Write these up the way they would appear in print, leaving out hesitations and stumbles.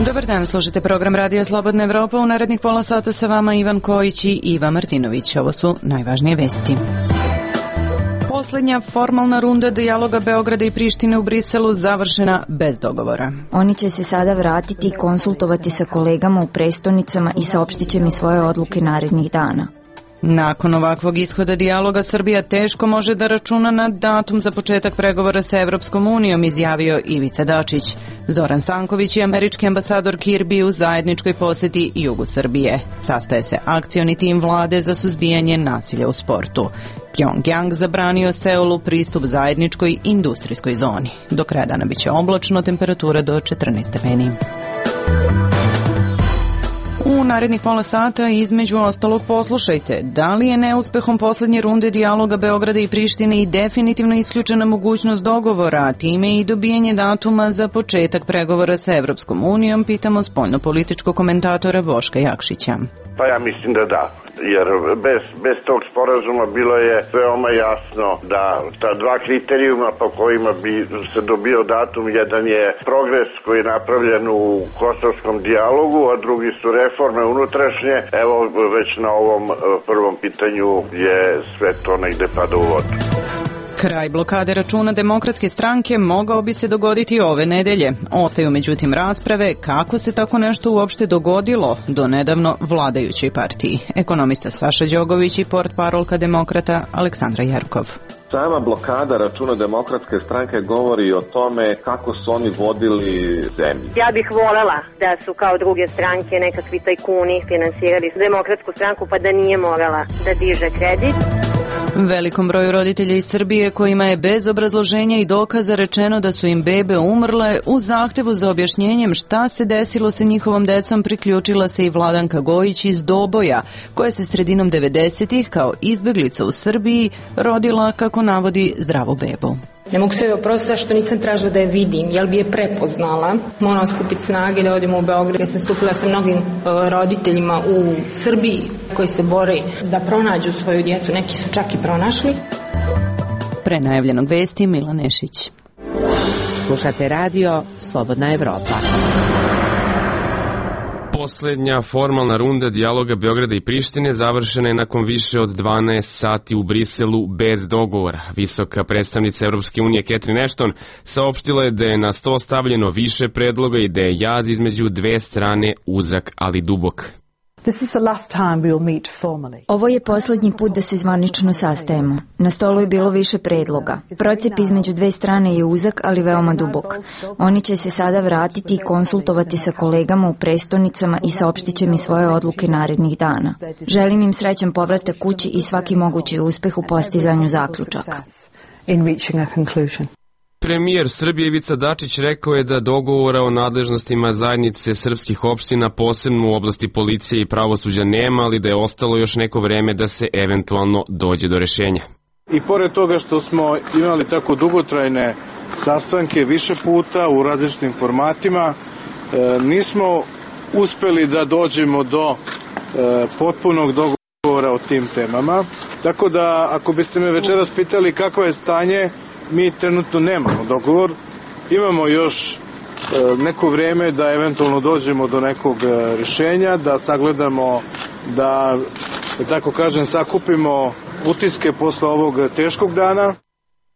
Dobar dan, slušajte program Radija Slobodna Evropa. U narednih pola sata sa vama Ivan Kojić i Iva Martinović. Ovo su najvažnije vesti. Poslednja formalna runda dijaloga Beograda i Prištine u Briselu završena bez dogovora. Oni će se sada vratiti i konsultovati sa kolegama u prestonicama i saopštit će mi svoje odluke narednih dana. Nakon ovakvog ishoda dijaloga Srbija teško može da računa na datum za početak pregovora sa Evropskom unijom, izjavio Ivica Dačić. Zoran Stanković i američki ambasador Kirby u zajedničkoj poseti jugu Srbije. Sastaje se akcioni tim vlade za suzbijanje nasilja u sportu. Pjongjang zabranio Seulu pristup zajedničkoj industrijskoj zoni. Do kraja dana biće oblačno, temperatura do 14 stepeni. U narednih pola sata između ostalog poslušajte da li je neuspehom poslednje runde dijaloga Beograda i Prištine i definitivno isključena mogućnost dogovora, a time i dobijanje datuma za početak pregovora sa Evropskom unijom, pitamo spoljnopolitičkog komentatora Boška Jakšića. Pa ja mislim da da, jer bez tog sporazuma bilo je veoma jasno da ta dva kriterijuma po kojima bi se dobio datum, jedan je progres koji je napravljen u kosovskom dijalogu, a drugi su reforme unutrašnje. Evo već na ovom prvom pitanju je sve to negde pada u vodu. Kraj blokade računa Demokratske stranke mogao bi se dogoditi ove nedelje. Ostaju međutim rasprave kako se tako nešto uopšte dogodilo do nedavno vladajućoj partiji. Ekonomista Saša Đogović i portparolka Demokrata Aleksandra Jerkov. Sama blokada računa Demokratske stranke govori o tome kako su oni vodili zemlju. Ja bih volela da su kao druge stranke nekakvi tajkuni finansirali Demokratsku stranku pa da nije morala da diže kredit. Velikom broju roditelja iz Srbije kojima je bez obrazloženja i dokaza rečeno da su im bebe umrle, u zahtevu za objašnjenjem šta se desilo sa njihovom decom priključila se i Vladanka Gojić iz Doboja, koja se sredinom 90-ih kao izbeglica u Srbiji rodila, kako navodi, zdravu bebu. Ne mogu se oprostiti zašto nisam tražila da je vidim, jel bi je prepoznala. Moram skupiti snage da odemo u Beograd. Ja sam stupila sa mnogim roditeljima u Srbiji koji se bore da pronađu svoju djecu. Neki su čak i pronašli. Pre najavljenog vesti Milan Nešić. Slušate radio Slobodna Evropa. Poslednja formalna runda dijaloga Beograda i Prištine završena je nakon više od 12 sati u Briselu bez dogovora. Visoka predstavnica Evropske unije Catherine Ashton saopštila je da je na sto stavljeno više predloga i da je jaz između dve strane uzak ali dubok. Ovo je poslednji put da se zvanično sastajemo. Na stolu je bilo više predloga. Procep između dve strane je uzak, ali veoma dubok. Oni će se sada vratiti i konsultovati sa kolegama u prestonicama i saopštit će mi svoje odluke narednih dana. Želim im srećan povratak kući i svaki mogući uspeh u postizanju zaključaka. Premijer Srbije Ivica Dačić rekao je da dogovora o nadležnostima zajednice srpskih opština, posebno u oblasti policije i pravosuđa, nema, ali da je ostalo još neko vreme da se eventualno dođe do rešenja. I pored toga što smo imali tako dugotrajne sastanke više puta u različitim formatima, nismo uspeli da dođemo do potpunog dogovora o tim temama. Tako da, ako biste me večeras pitali kakvo je stanje, mi trenutno nemamo dogovor. Imamo još neko vreme da eventualno dođemo do nekog rešenja, da sagledamo, da tako kažem, sakupimo utiske posle ovog teškog dana.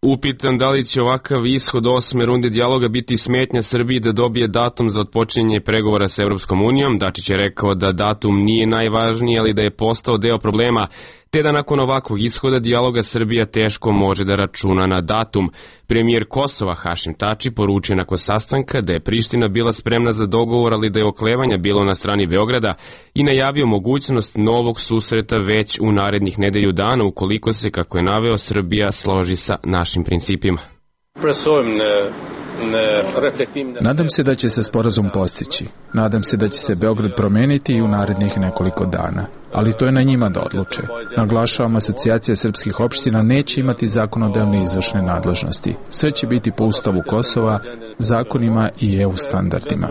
Upitan da li će ovakav ishod 8. runde dijaloga biti smetnja Srbiji da dobije datum za otpočinjanje pregovora sa Evropskom unijom, Dačić je rekao da datum nije najvažniji, ali da je postao deo problema, te da nakon ovakvog ishoda dijaloga Srbija teško može da računa na datum. Premijer Kosova Hašim Tači poručio nakon sastanka da je Priština bila spremna za dogovor, ali da je oklevanja bilo na strani Beograda i najavio mogućnost novog susreta već u narednih nedelju dana ukoliko se, kako je naveo, Srbija složi sa našim principima. Nadam se da će se sporazum postići. Nadam se da će se Beograd promeniti i u narednih nekoliko dana. Ali to je na njima da odluče. Naglašavam, Asocijacija srpskih opština neće imati zakonodavne i izvršne nadležnosti. Sve će biti po Ustavu Kosova, zakonima i EU standardima.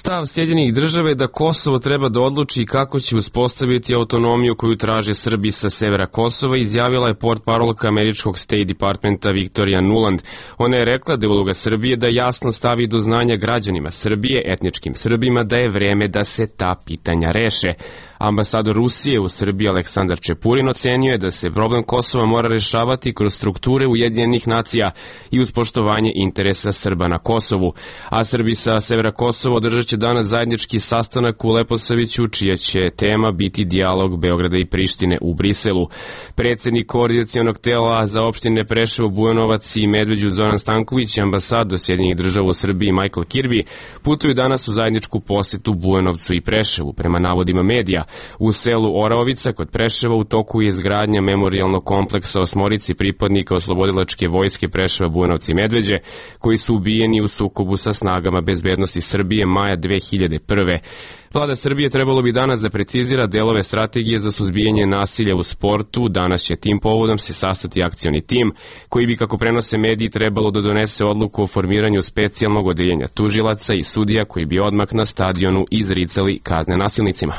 Stav Sjedinjenih država je da Kosovo treba da odluči kako će uspostaviti autonomiju koju traže Srbi sa severa Kosova, izjavila je portparolka američkog State Departmenta Victoria Nuland. Ona je rekla da je uloga Srbije da jasno stavi do znanja građanima Srbije, etničkim Srbima, da je vreme da se ta pitanja reše. Ambasador Rusije u Srbiji Aleksandar Čepurin ocenio je da se problem Kosova mora rešavati kroz strukture Ujedinjenih nacija i uz poštovanje interesa Srba na Kosovu. A Srbi sa severa Kosova održat će danas zajednički sastanak u Leposaviću, čija će tema biti dijalog Beograda i Prištine u Briselu. Predsednik koordinacionog tela za opštine Preševo, Bujanovac i Medveđu Zoran Stanković i ambasador Sjedinjenih država u Srbiji Michael Kirby putuju danas u zajedničku posetu Bujanovcu i Preševu. Prema navodima medija, u selu Oraovica kod Preševa u toku je izgradnja memorijalnog kompleksa osmorici pripadnika oslobodilačke vojske Preševa, Bujanovca i Medveđe, koji su ubijeni u sukobu sa snagama bezbednosti Srbije maja 2001. Vlada Srbije trebalo bi danas da precizira delove strategije za suzbijanje nasilja u sportu. Danas će tim povodom se sastati akcioni tim, koji bi, kako prenose mediji, trebalo da donese odluku o formiranju specijalnog odeljenja tužilaca i sudija koji bi odmah na stadionu izricali kazne nasilnicima.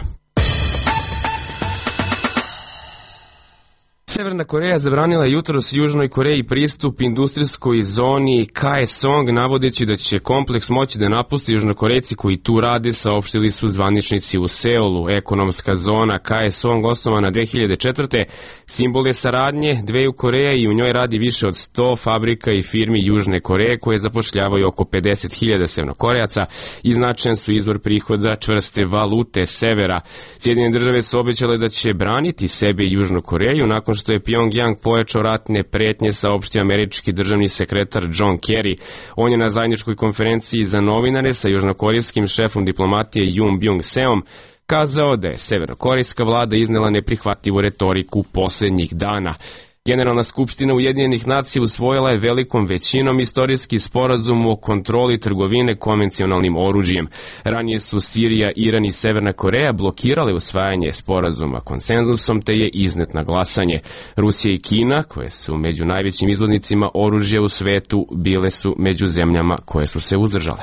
Severna Koreja zabranila jutros Južnoj Koreji pristup industrijskoj zoni Kaesong, navodeći da će kompleks moći da napusti Južnokorejci koji tu rade, saopštili su zvaničnici u Seulu. Ekonomska zona Kaesong, osnovana 2004. simbol je saradnje dveju Koreja i u njoj radi više od 100 fabrika i firmi Južne Koreje koje zapošljavaju oko 50.000 Severnokorejaca i značajan su izvor prihoda čvrste valute severa. Sjedinjene države su obećale da će braniti sebe i Južnu Koreju nakon što je Pyongyang pojačao ratne pretnje, saopštio američki državni sekretar John Kerry. On je na zajedničkoj konferenciji za novinare sa južnokorejskim šefom diplomatije Yoon Byung-seom kazao da je severnokorejska vlada iznela neprihvatljivu retoriku poslednjih dana. Generalna skupština Ujedinjenih nacija usvojila je velikom većinom istorijski sporazum o kontroli trgovine konvencionalnim oružjem. Ranije su Sirija, Iran i Severna Koreja blokirale usvajanje sporazuma konsenzusom, te je iznet na glasanje. Rusija i Kina, koje su među najvećim izvoznicima oružja u svetu, bile su među zemljama koje su se uzdržale.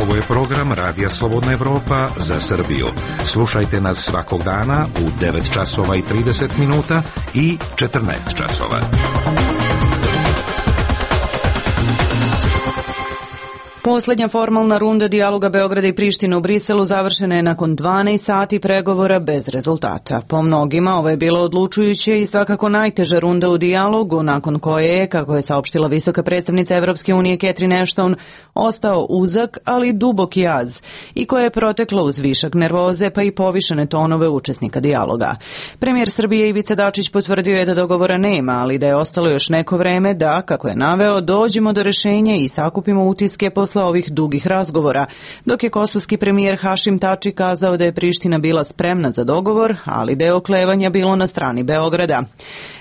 Ovo je program Radija Slobodna Evropa za Srbiju. Slušajte nas svakog dana u 9 časova i 30 minuta i 14 časova. Poslednja formalna runda dijaloga Beograda i Prištine u Briselu završena je nakon 12 sati pregovora bez rezultata. Po mnogima ovo je bilo odlučujuće i svakako najteža runda u dijalogu, nakon koje je, kako je saopštila visoka predstavnica Evropske unije Catherine Ashton, ostao uzak, ali dubok jaz i koje je proteklo uz višak nervoze pa i povišene tonove učesnika dijaloga. Premijer Srbije Ivica Dačić potvrdio je da dogovora nema, ali da je ostalo još neko vreme da, kako je naveo, dođemo do rešenja i sakupimo utiske posle ovih dugih razgovora, dok je kosovski premijer Hašim Tači kazao da je Priština bila spremna za dogovor, ali da je oklevanja bilo na strani Beograda.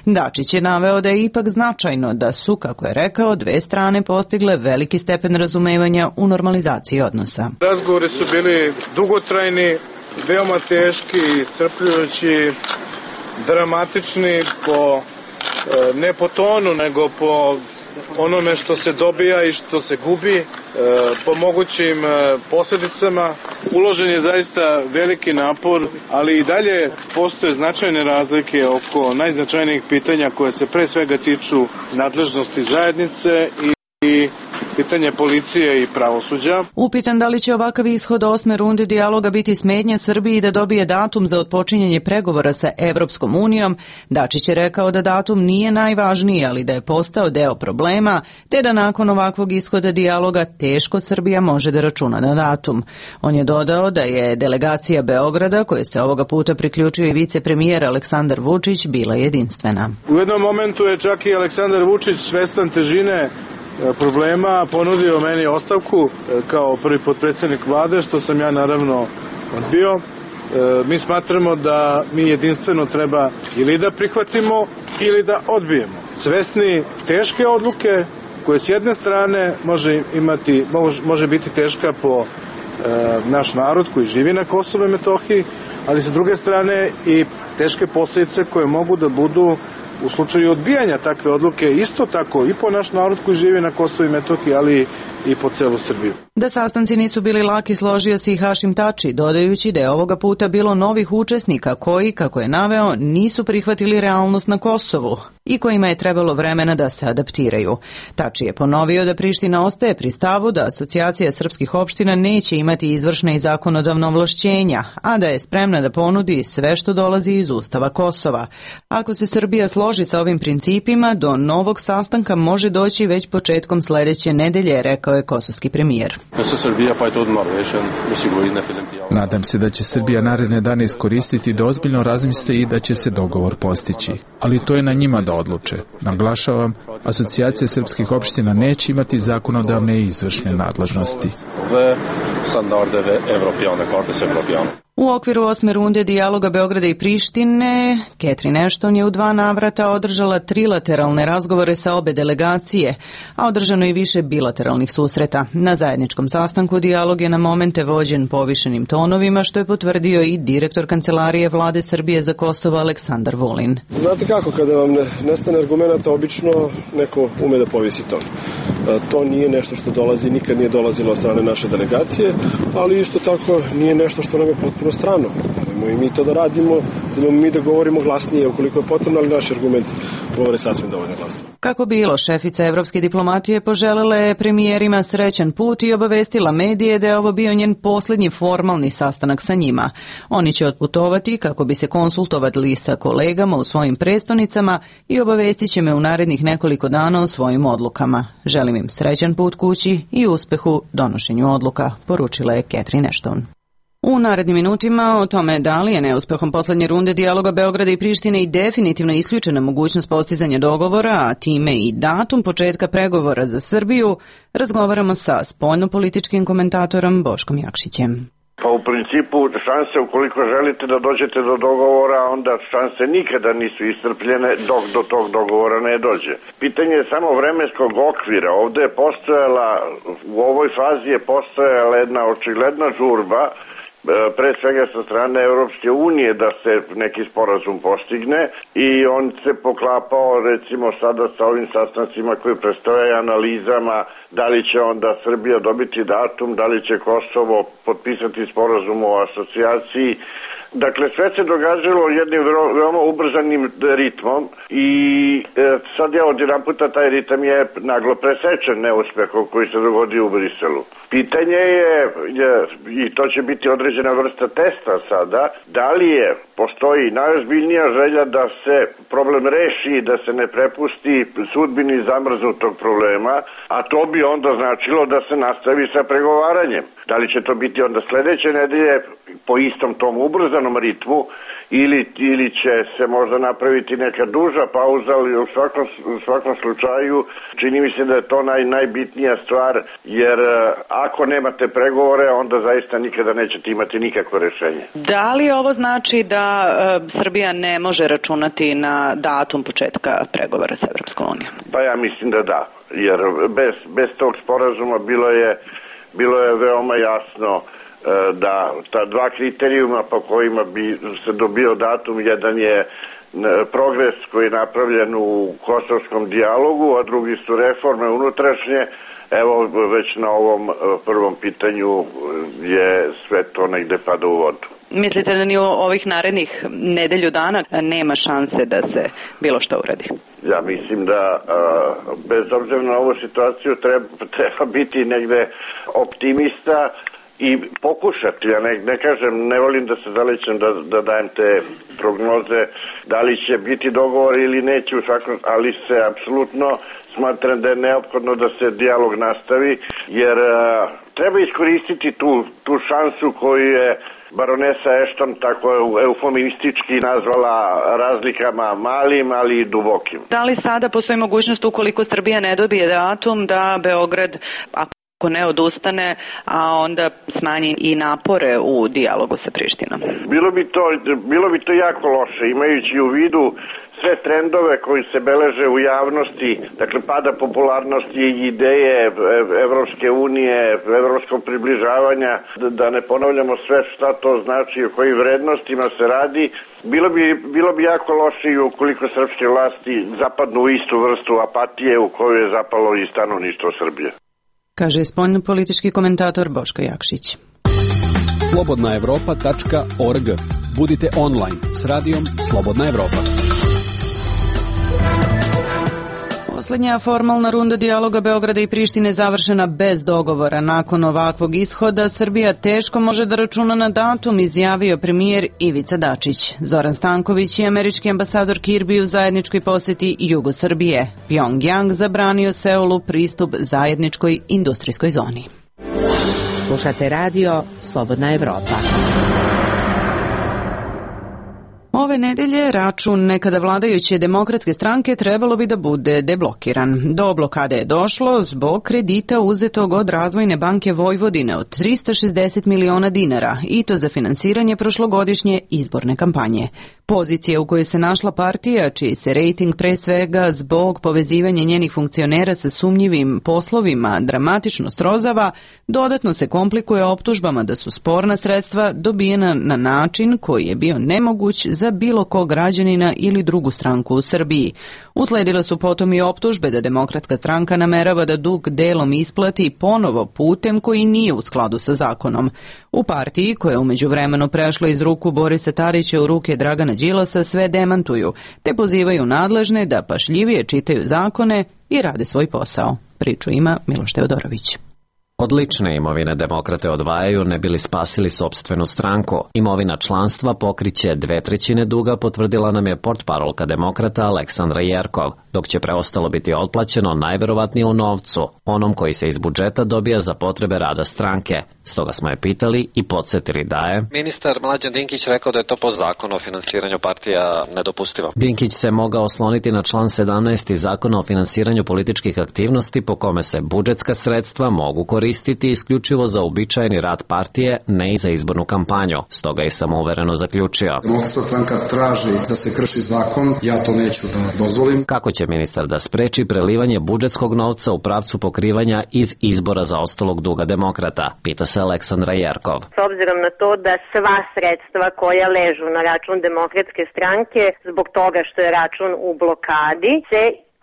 Dačić je naveo da je ipak značajno da su, kako je rekao, dve strane postigle veliki stepen razumevanja u normalizaciji odnosa. Razgovori su bili dugotrajni, veoma teški, iscrpljujući, dramatični ne po tonu, nego po onome što se dobija i što se gubi, po mogućim posljedicama. Uložen je zaista veliki napor, ali i dalje postoje značajne razlike oko najznačajnijih pitanja koje se pre svega tiču nadležnosti zajednice i pitanje policije i pravosuđa. Upitan da li će ovakav ishod 8. runde dijaloga biti smetnja Srbiji da dobije datum za otpočinjanje pregovora sa Evropskom unijom, Dačić je rekao da datum nije najvažniji, ali da je postao deo problema, te da nakon ovakvog ishoda dijaloga teško Srbija može da računa na datum. On je dodao da je delegacija Beograda, koje se ovoga puta priključio i vicepremijer Aleksandar Vučić, bila jedinstvena. U jednom momentu je čak i Aleksandar Vučić, svestan težine problema, ponudio meni ostavku kao prvi potpredsjednik vlade, što sam ja naravno odbio. Mi smatramo da mi jedinstveno treba ili da prihvatimo ili da odbijemo. Svesni teške odluke koje s jedne strane može biti teška po naš narod koji živi na Kosovu i Metohiji, ali sa druge strane i teške posljedice koje mogu da budu u slučaju odbijanja takve odluke isto tako i po naš narod koji živi na Kosovu i Metohiji, ali i po celu Srbiju. Da sastanci nisu bili laki složio se i Hašim Tači, dodajući da je ovoga puta bilo novih učesnika koji, kako je naveo, nisu prihvatili realnost na Kosovu i kojima je trebalo vremena da se adaptiraju. Tači je ponovio da Priština ostaje pri stavu da Asocijacija srpskih opština neće imati izvršne i zakonodavne ovlašćenja, a da je spremna da ponudi sve što dolazi iz Ustava Kosova. Ako se Srbija složi sa ovim principima, do novog sastanka može doći već početkom sledeće nedelje, rekao je kosovski premijer. Nadam se da će Srbija naredne dane iskoristiti da ozbiljno razmisle i da će se dogovor postići. Ali to je na njima da odluče. Naglašavam, Asocijacija srpskih opština neće imati zakonodavne i izvršne nadležnosti. U okviru 8. runde dijaloga Beograda i Prištine, Catherine Ashton je u 2 navrata održala trilateralne razgovore sa obe delegacije, a održano i više bilateralnih susreta. Na zajedničkom sastanku dijalog je na momente vođen povišenim tonovima, što je potvrdio i direktor Kancelarije Vlade Srbije za Kosovo Aleksandar Vulin. Znate kako, kada vam nestane argumenta, obično neko ume da povisi ton. To nije nešto što dolazi, nikad nije dolazilo od strane naše delegacije, ali isto tako nije nešto što nam je potpuno strano. I mi to da radimo, mi da govorimo glasnije ukoliko je potrebno, ali naši argumenti govore sasvim dovoljno glasno. Kako bilo, šefica evropske diplomatije poželela je premijerima srećan put i obavestila medije da je ovo bio njen poslednji formalni sastanak sa njima. Oni će otputovati kako bi se konsultovali sa kolegama u svojim prestonicama i obavestit će me u narednih nekoliko dana o svojim odlukama. Želim im srećan put kući i uspehu donošenju odluka, poručila je Catherine Ashton. U narednim minutima o tome da li je neuspehom poslednje runde dijaloga Beograda i Prištine i definitivno isključena mogućnost postizanja dogovora, a time i datum početka pregovora za Srbiju, razgovaramo sa spoljnopolitičkim komentatorom Boškom Jakšićem. Pa u principu šanse ukoliko želite da dođete do dogovora, onda šanse nikada nisu iscrpljene dok do tog dogovora ne dođe. Pitanje je samo vremenskog okvira. Ovde je postojala, u ovoj fazi je postojala jedna očigledna žurba, pre svega sa strane Evropske unije da se neki sporazum postigne i on se poklapao recimo sada sa ovim sastancima koji predstavljaju analizama da li će onda Srbija dobiti datum, da li će Kosovo potpisati sporazum o asocijaciji. Dakle, sve se događalo jednim veoma ubrzanim ritmom i sad je odjedan puta taj ritam je naglo presečen neuspehom koji se dogodio u Briselu. Pitanje je, i to će biti određena vrsta testa sada, da li postoji najozbiljnija želja da se problem reši, da se ne prepusti sudbini zamrznutog problema, a to bi onda značilo da se nastavi sa pregovaranjem. Da li će to biti onda sledeće nedelje po istom tom ubrzanom ritmu ili će se možda napraviti neka duža pauza, ali u svakom slučaju čini mi se da je to najbitnija stvar, jer ako nemate pregovore, onda zaista nikada nećete imati nikakvo rešenje. Da li ovo znači da Srbija ne može računati na datum početka pregovora sa Evropskom unijom? Pa ja mislim da da, jer bez tog sporazuma bilo je veoma jasno da ta 2 kriterijuma po kojima bi se dobio datum, jedan je progres koji je napravljen u kosovskom dijalogu, a drugi su reforme unutrašnje. Evo, već na ovom prvom pitanju je sve to negde pada u vodu. Mislite da ni ovih narednih nedelju dana nema šanse da se bilo što uradi? Ja mislim da bez obzira na ovu situaciju treba biti negde optimista i pokušati, ja ne kažem, ne volim da se zalećem da dajem te prognoze, da li će biti dogovor ili neće, ali se apsolutno smatram da je neophodno da se dijalog nastavi, jer treba iskoristiti tu šansu koju je baronesa Ashton tako eufemistički nazvala razlikama malim, ali i dubokim. Da li sada postoji mogućnost, ukoliko Srbija ne dobije datum, da Beograd, ako ne odustane, a onda smanji i napore u dijalogu sa Prištinom? Bilo bi to jako loše, imajući u vidu sve trendove koji se beleže u javnosti, dakle pada popularnosti i ideje Evropske unije, evropskog približavanja, da ne ponavljamo sve šta to znači, o kojim vrednostima se radi. Bilo bi jako loše i ukoliko srpske vlasti zapadnu u istu vrstu apatije u koju je zapalo i stanovništvo Srbije. Kaže spoljnopolitički komentator Boško Jakšić. slobodnaevropa.org. Budite online s radijom Slobodna Evropa. Poslednja formalna runda dijaloga Beograda i Prištine završena bez dogovora. Nakon ovakvog ishoda Srbija teško može da računa na datum, izjavio premijer Ivica Dačić. Zoran Stanković i američki ambasador Kirbi u zajedničkoj poseti jugu Srbije. Pjongjang zabranio Seulu pristup zajedničkoj industrijskoj zoni. Slušate radio Slobodna Evropa. Ove nedelje račun nekada vladajuće Demokratske stranke trebalo bi da bude deblokiran. Do blokade je došlo zbog kredita uzetog od Razvojne banke Vojvodine od 360 miliona dinara i to za finansiranje prošlogodišnje izborne kampanje. Pozicija u kojoj se našla partija, čiji se rejting pre svega zbog povezivanja njenih funkcionera sa sumnjivim poslovima dramatično srozava, dodatno se komplikuje optužbama da su sporna sredstva dobijena na način koji je bio nemoguć za bilo kog građanina ili drugu stranku u Srbiji. Usledile su potom i optužbe da Demokratska stranka namerava da dug delom isplati ponovo putem koji nije u skladu sa zakonom. U partiji, koja je umeđu vremenu prešla iz ruku Borisa Tadića u ruke Dragana Đilasa, sve demantuju, te pozivaju nadležne da pažljivije čitaju zakone i rade svoj posao. Priču ima Miloš Teodorović. Od lične imovine demokrate odvajaju ne bili spasili sopstvenu stranku. Imovina članstva pokriće 2/3 duga, potvrdila nam je portparolka demokrata Aleksandra Jerkov, dok će preostalo biti otplaćeno najverovatnije u novcu, onom koji se iz budžeta dobija za potrebe rada stranke. Stoga smo je pitali i podsjetili da je ministar Mlađan Dinkić rekao da je to po zakonu o finansiranju partija nedopustivo. Dinkić se mogao osloniti na član 17. Zakona o finansiranju političkih aktivnosti, po kome se budžetska sredstva mogu koristiti isključivo za uobičajeni rad partije, ne i za izbornu kampanju. Stoga je samouvereno zaključio. Demokratska stranka traži da se krši zakon, ja to neću da dozvolim. Kako će ministar da spreči prelivanje budžetskog novca u pravcu pokrivanja iz izbora zaostalog duga demokrata? Pita se Aleksandra Jerkov. S obzirom na to da sva sredstva koja ležu na račun Demokratske stranke zbog toga što je račun u blokadi se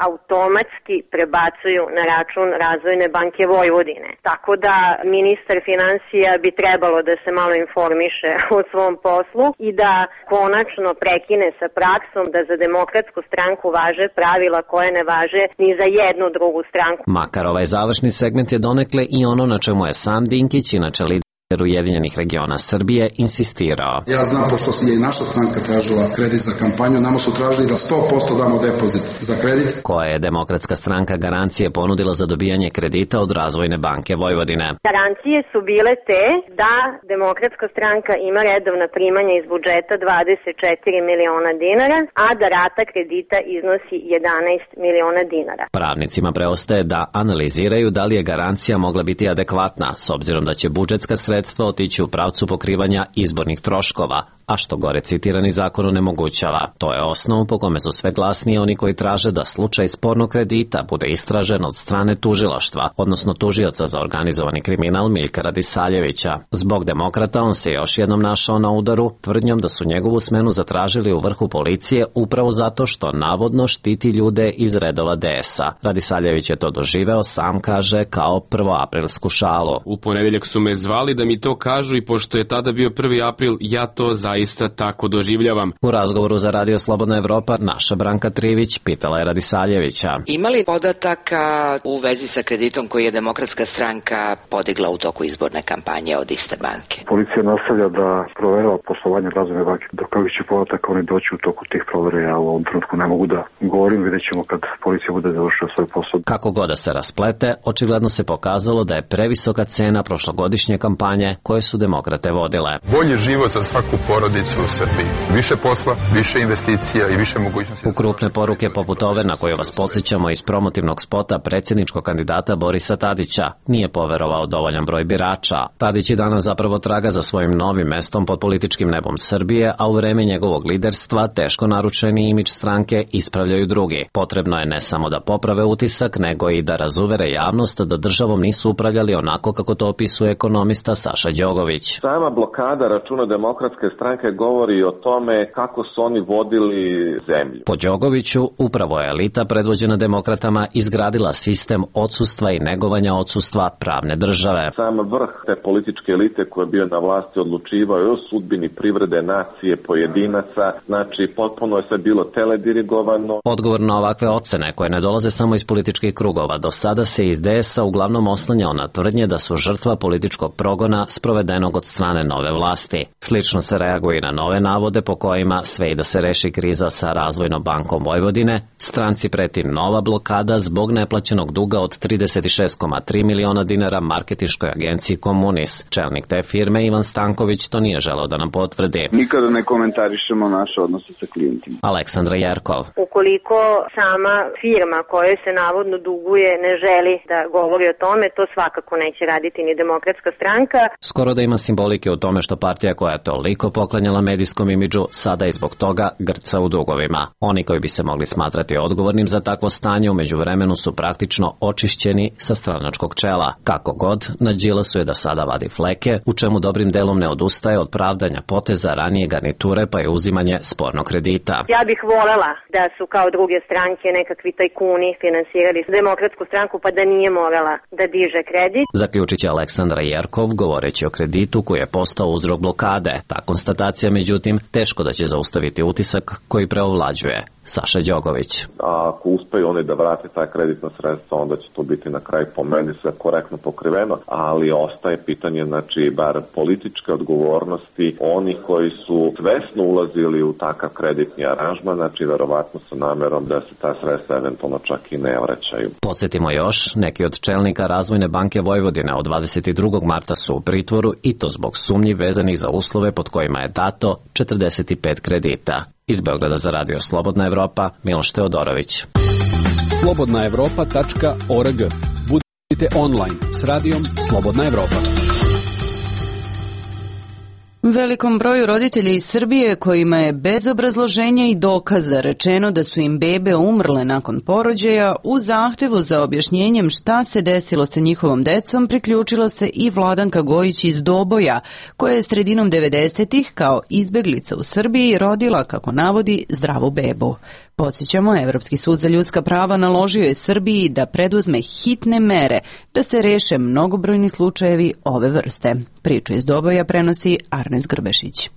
automatski prebacuju na račun Razvojne banke Vojvodine. Tako da ministar finansija bi trebalo da se malo informiše o svom poslu i da konačno prekine sa praksom da za Demokratsku stranku važe pravila koje ne važe ni za jednu drugu stranku. Makar ovaj završni segment je donekle i ono na čemu je sam Dinkić, inače lider Ujedinjenih regiona Srbije, insistirao. Ja znam, pošto je i naša stranka tražila kredit za kampanju, nama su tražili da 100% damo depozit za kredit. Koja je Demokratska stranka garancije ponudila za dobijanje kredita od Razvojne banke Vojvodine? Garancije su bile te da Demokratska stranka ima redovna primanja iz budžeta 24 miliona dinara, a da rata kredita iznosi 11 miliona dinara. Pravnicima preostaje da analiziraju da li je garancija mogla biti adekvatna, s obzirom da će budžetska sredstva otići u pravcu pokrivanja izbornih troškova, a što gore citirani zakon onemogućava. To je osnov po kome su sve glasniji oni koji traže da slučaj spornog kredita bude istražen od strane tužilaštva, odnosno tužioca za organizovani kriminal Miljka Radisaljevića. Zbog demokrata on se još jednom našao na udaru tvrdnjom da su njegovu smenu zatražili u vrhu policije upravo zato što navodno štiti ljude iz redova DS-a. Radisaljević je to doživeo, sam kaže, kao prvoaprilsku šalu. U ponedeljak su me zvali da mi to kažu i pošto je tada bio 1. april, ja to zaista tako doživljavam. U razgovoru za Radio Slobodna Evropa naša Branka Trivić pitala je Radisaljevića. Ima li podataka u vezi sa kreditom koji je Demokratska stranka podigla u toku izborne kampanje od iste banke? Policija nastavlja da proverava poslovanje Razvojne banke. Do kakvih će podataka oni doći u toku tih provera, ja u ovom trenutku ne mogu da govorim, vidjet ćemo kad policija bude završila svoj posao. Kako god da se rasplete, očigledno se pokazalo da je previsoka cena prošlogodišnje kampanje koje su demokrate vodile. Bolji život za svaku porodicu u Srbiji. Više posla, više investicija i više mogućnosti. U krupne poruke poput ove na koju vas podsjećamo iz promotivnog spota predsjedničkog kandidata Borisa Tadića nije poverovao dovoljan broj birača. Tadić i danas zapravo traga za svojim novim mestom pod političkim nebom Srbije, a u vreme njegovog liderstva teško naručeni imidž stranke ispravljaju drugi. Potrebno je ne samo da poprave utisak, nego i da razuvere javnost da državom nisu upravljali onako kako to opisuje ekonomista Saša Đogović. Sama blokada računa Demokratske stranke stranke govori o tome kako su oni vodili zemlju. Po Đogoviću, upravo je elita predvođena demokratama izgradila sistem odsustva i negovanja odsustva pravne države. Sam vrh te političke elite koja je bio na vlasti odlučivao o sudbini privrede, nacije, pojedinaca, znači potpuno je sve bilo teledirigovano. Odgovor na ovakve ocene koje ne dolaze samo iz političkih krugova, do sada se iz DS-a uglavnom oslanjao na tvrdnje da su žrtva političkog progona sprovedenog od strane nove vlasti. Slično se reaguje i na nove navode po kojima sve i da se reši kriza sa Razvojnom bankom Vojvodine, stranci preti nova blokada zbog neplaćenog duga od 36,3 miliona dinara marketinškoj agenciji Komunis. Čelnik te firme Ivan Stanković to nije želeo da nam potvrdi. Nikada ne komentarišemo naše odnose sa klijentima. Aleksandra Jerkov. Ukoliko sama firma kojoj se navodno duguje ne želi da govori o tome, to svakako neće raditi ni Demokratska stranka. Skoro da ima simbolike u tome što partija koja je toliko poklanjala medijskom imidžu sada i zbog toga grca u dugovima. Oni koji bi se mogli smatrati odgovornim za takvo stanje u međuvremenu su praktično očišćeni sa stranačkog čela. Kako god, na Đilasu je da sada vadi fleke, u čemu dobrim delom ne odustaje od pravdanja poteza ranije garniture pa je uzimanje spornog kredita. Ja bih volela da su kao druge stranke nekakvi tajkuni finansirali Demokratsku stranku pa da nije morala da diže kredit. Zaključit će Aleksandra Jerkov govoreći o kreditu koji je postao uzrok blokade. Ta konstatacija, međutim, teško da će zaustaviti utisak koji preovlađuje. Saša Đogović. Ako uspeju oni da vrate taj kreditna sredstva, onda će to biti na kraju po meni sve korektno pokriveno, ali ostaje pitanje, znači, bar političke odgovornosti onih koji su svesno ulazili u takav kreditni aranžman, znači verovatno sa namerom da se ta sredstva eventualno čak i ne vraćaju. Podsjetimo još, neki od čelnika Razvojne banke Vojvodine od 22. marta su u pritvoru i to zbog sumnji vezanih za uslove pod kojima je dato 45 kredita. Iz Beograda za Radio Slobodna Evropa, Miloš Teodorović. slobodnaevropa.org. Budite online s radijom Slobodna Evropa. Velikom broju roditelja iz Srbije kojima je bez obrazloženja i dokaza rečeno da su im bebe umrle nakon porođaja, u zahtevu za objašnjenjem šta se desilo sa njihovom decom priključila se i Vladanka Gojić iz Doboja, koja je sredinom 90-ih kao izbeglica u Srbiji rodila, kako navodi, zdravu bebu. Podsjećamo, Evropski sud za ljudska prava naložio je Srbiji da preduzme hitne mere da se reše mnogobrojni slučajevi ove vrste. Priču iz Doboja prenosi Arnes Grbešić.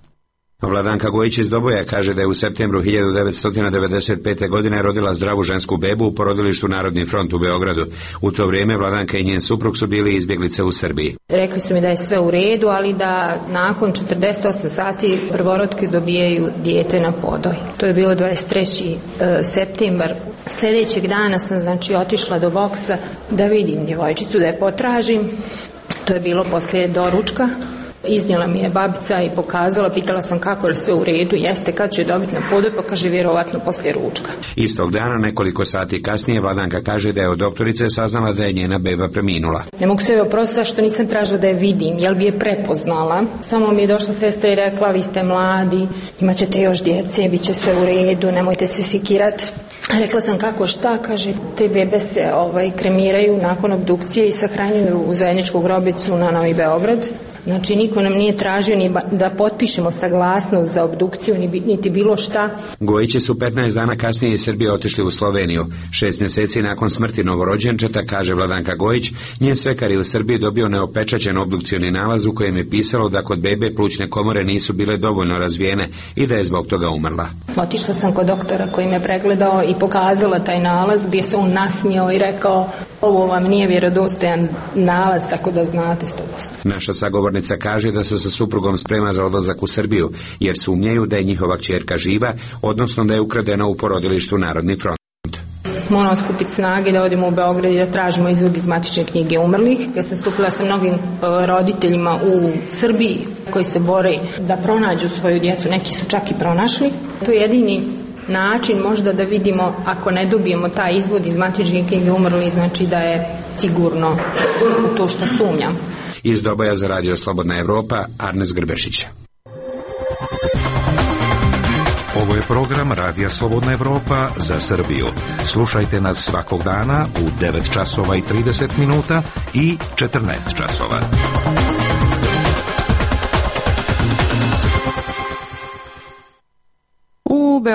Vladanka Gojić iz Doboja kaže da je u septembru 1995. godine rodila zdravu žensku bebu u porodilištu Narodni front u Beogradu. U to vrijeme Vladanka i njen suprug su bili izbjeglice u Srbiji. Rekli su mi da je sve u redu, ali da nakon 48 sati prvorotke dobijaju dijete na podoj. To je bilo 23. septembar. Sljedećeg dana sam otišla do boksa da vidim djevojčicu, da je potražim. To je bilo poslije doručka. Iznijela mi je babica i pokazala, pitala sam kako je sve u redu, jeste, kad će dobiti na podoj, pa kaže vjerovatno poslije ručka. Istog dana, nekoliko sati kasnije, Vladanka kaže da je od doktorice saznala da je njena beba preminula. Ne mogu se oprostiti što nisam tražila da je vidim, jel bi je prepoznala. Samo mi je došla sestra i rekla, vi ste mladi, imat ćete još djece, bit će sve u redu, nemojte se sikirati. Rekla sam kako šta, kaže, te bebe se kremiraju nakon obdukcije i sahranjuju u zajedničku grobicu na Novi Beograd. Znači, niko nam nije tražio ni da potpišemo saglasnost za obdukciju, niti bilo šta. Gojići su 15 dana kasnije iz Srbije otišli u Sloveniju. 6 mjeseci nakon smrti novorođenčeta, kaže Vladanka Gojić, njen svekar je u Srbiji dobio neopečaćen obdukcioni nalaz u kojem je pisalo da kod bebe plućne komore nisu bile dovoljno razvijene i da je zbog toga umrla. Otišla sam kod doktora koji me pregledao i pokazala taj nalaz, bio se on nasmijao i rekao, ovo vam nije vjerodostojan nalaz, tako da znate 100%. Naša sagovornica kaže da se sa suprugom sprema za odlazak u Srbiju, jer sumnjaju da je njihova kćerka živa, odnosno da je ukradena u porodilištu Narodni front. Moramo skupiti snage da odemo u Beograd i da tražimo izvod iz matične knjige umrlih. Ja sam stupila sa mnogim roditeljima u Srbiji koji se bore da pronađu svoju djecu, neki su čak i pronašli. To je jedini način možda da vidimo, ako ne dobijemo taj izvod iz matične knjige umrlih, znači da je sigurno u to što sumnjam. Iz Doboja za Radio Slobodna Evropa, Arnes Grbešić. Ovo je program Radija Slobodna Evropa za Srbiju. Slušajte nas svakog dana u 9 časova i 30 minuta i 14 časova.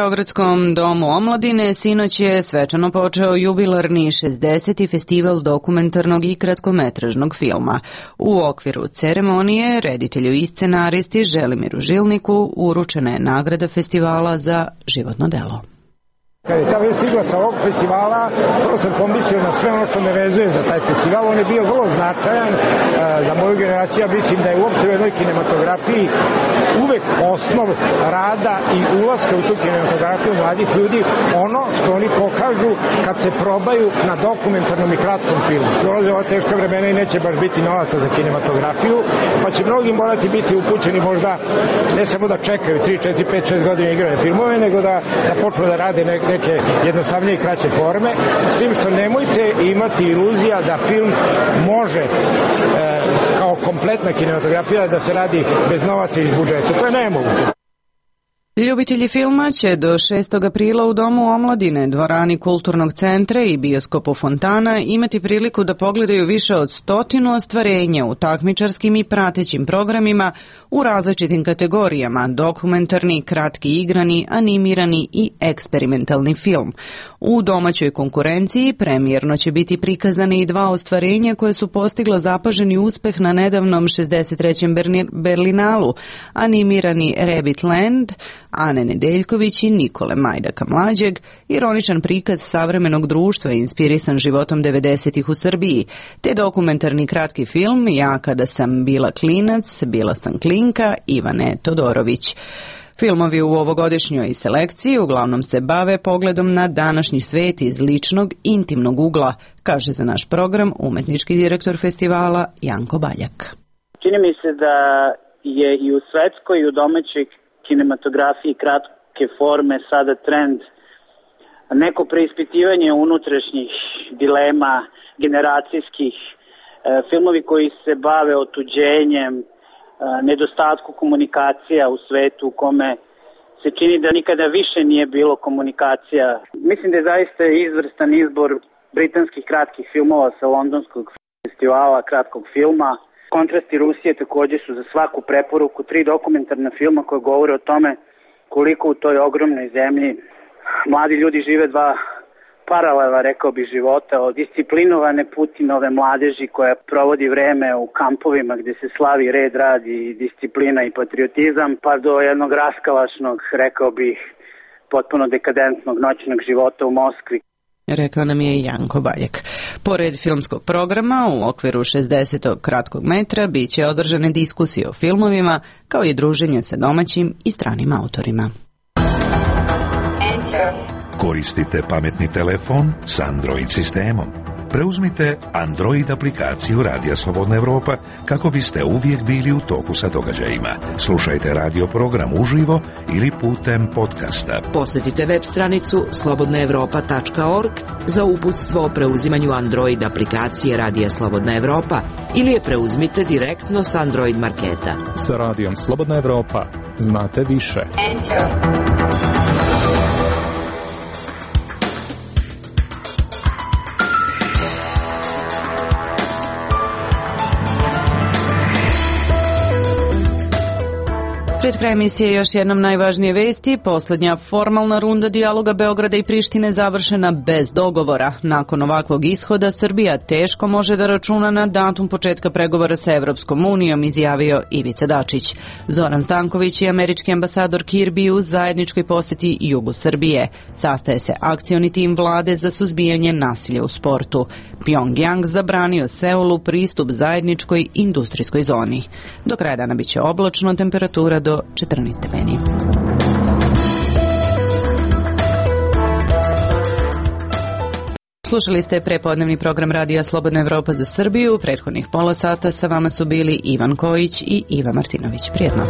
Beogradskom domu omladine sinoć je svečano počeo jubilarni 60. festival dokumentarnog i kratkometražnog filma. U okviru ceremonije reditelju i scenaristi Želimiru Žilniku uručena je nagrada festivala za životno delo. Kad je ta vest stigla sa ovog festivala, prvo sam pomislio na sve ono što me vezuje za taj festival. On je bio vrlo značajan za moju generaciju. Ja mislim da je uopšte u jednoj kinematografiji uvek osnov rada i ulaska u tu kinematografiju mladih ljudi ono što oni pokažu kad se probaju na dokumentarnom i kratkom filmu. Dolaze ova teška vremena i neće baš biti novaca za kinematografiju, pa će mnogi morati biti upućeni možda ne samo da čekaju 3, 4, 5, 6 godina igrane filmove, nego da počnu da rade neke jednostavnije i kraće forme, s tim što nemojte imati iluzija da film može kao kompletna kinematografija da se radi bez novaca iz budžeta. To je nemoguće. Ljubitelji filma će do 6. aprila u Domu omladine, dvorani Kulturnog centra i bioskopu Fontana imati priliku da pogledaju više od 100 ostvarenja u takmičarskim i pratećim programima u različitim kategorijama: dokumentarni, kratki igrani, animirani i eksperimentalni film. U domaćoj konkurenciji premijerno će biti prikazane i 2 ostvarenja koje su postigla zapaženi uspeh na nedavnom 63. Berlinalu: animirani Rabbit Land Ane Nedeljković i Nikole Majdaka mlađeg, ironičan prikaz savremenog društva inspirisan životom 90-ih u Srbiji, te dokumentarni kratki film Ja kada sam bila klinac, bila sam klinka Ivane Todorović. Filmovi u ovogodišnjoj selekciji uglavnom se bave pogledom na današnji svet iz ličnog, intimnog ugla, kaže za naš program umetnički direktor festivala Janko Baljak. Čini mi se da je i u svetskoj i u domaćoj kinematografiji kratke forme sada trend neko preispitivanje unutrašnjih dilema generacijskih, filmovi koji se bave otuđenjem, nedostatku komunikacija u svetu u kome se čini da nikada više nije bilo komunikacija. Mislim da je zaista izvrstan izbor britanskih kratkih filmova sa londonskog festivala kratkog filma. Kontrasti Rusije također su za svaku preporuku 3 dokumentarna filma koje govore o tome koliko u toj ogromnoj zemlji mladi ljudi žive 2 paralela, rekao bi, života, od disciplinovane Putinove mladeži koja provodi vreme u kampovima gdje se slavi red, rad i disciplina i patriotizam, pa do jednog raskalašnog, rekao bih, potpuno dekadentnog noćnog života u Moskvi. Rekao nam je Janko Baljak. Pored filmskog programa, u okviru 60. kratkog metra bit će održane diskusije o filmovima, kao i druženje sa domaćim i stranim autorima. Koristite pametni telefon s Android sistemom. Preuzmite Android aplikaciju Radija Slobodna Evropa kako biste uvijek bili u toku sa događajima. Slušajte radio program uživo ili putem podcasta. Posjetite web stranicu slobodnaevropa.org za uputstvo o preuzimanju Android aplikacije Radija Slobodna Evropa ili je preuzmite direktno s Android marketa. Sa Radijom Slobodna Evropa znate više. Pred kraj emisije još jednom najvažnije vesti. Poslednja formalna runda dijaloga Beograda i Prištine završena bez dogovora. Nakon ovakvog ishoda Srbija teško može da računa na datum početka pregovora sa Evropskom unijom, izjavio Ivica Dačić. Zoran Stanković i američki ambasador Kirby u zajedničkoj poseti jugu Srbije. Sastaje se akcioni tim vlade za suzbijanje nasilja u sportu. Pyongyang zabranio Seulu pristup zajedničkoj industrijskoj zoni. Do kraja dana biće oblačno, temperatura do 14 stepeni. Slušali ste prepodnevni program Radija Slobodna Evropa za Srbiju. Prethodnih pola sata sa vama su bili Ivan Kojić i Iva Martinović. Prijetno.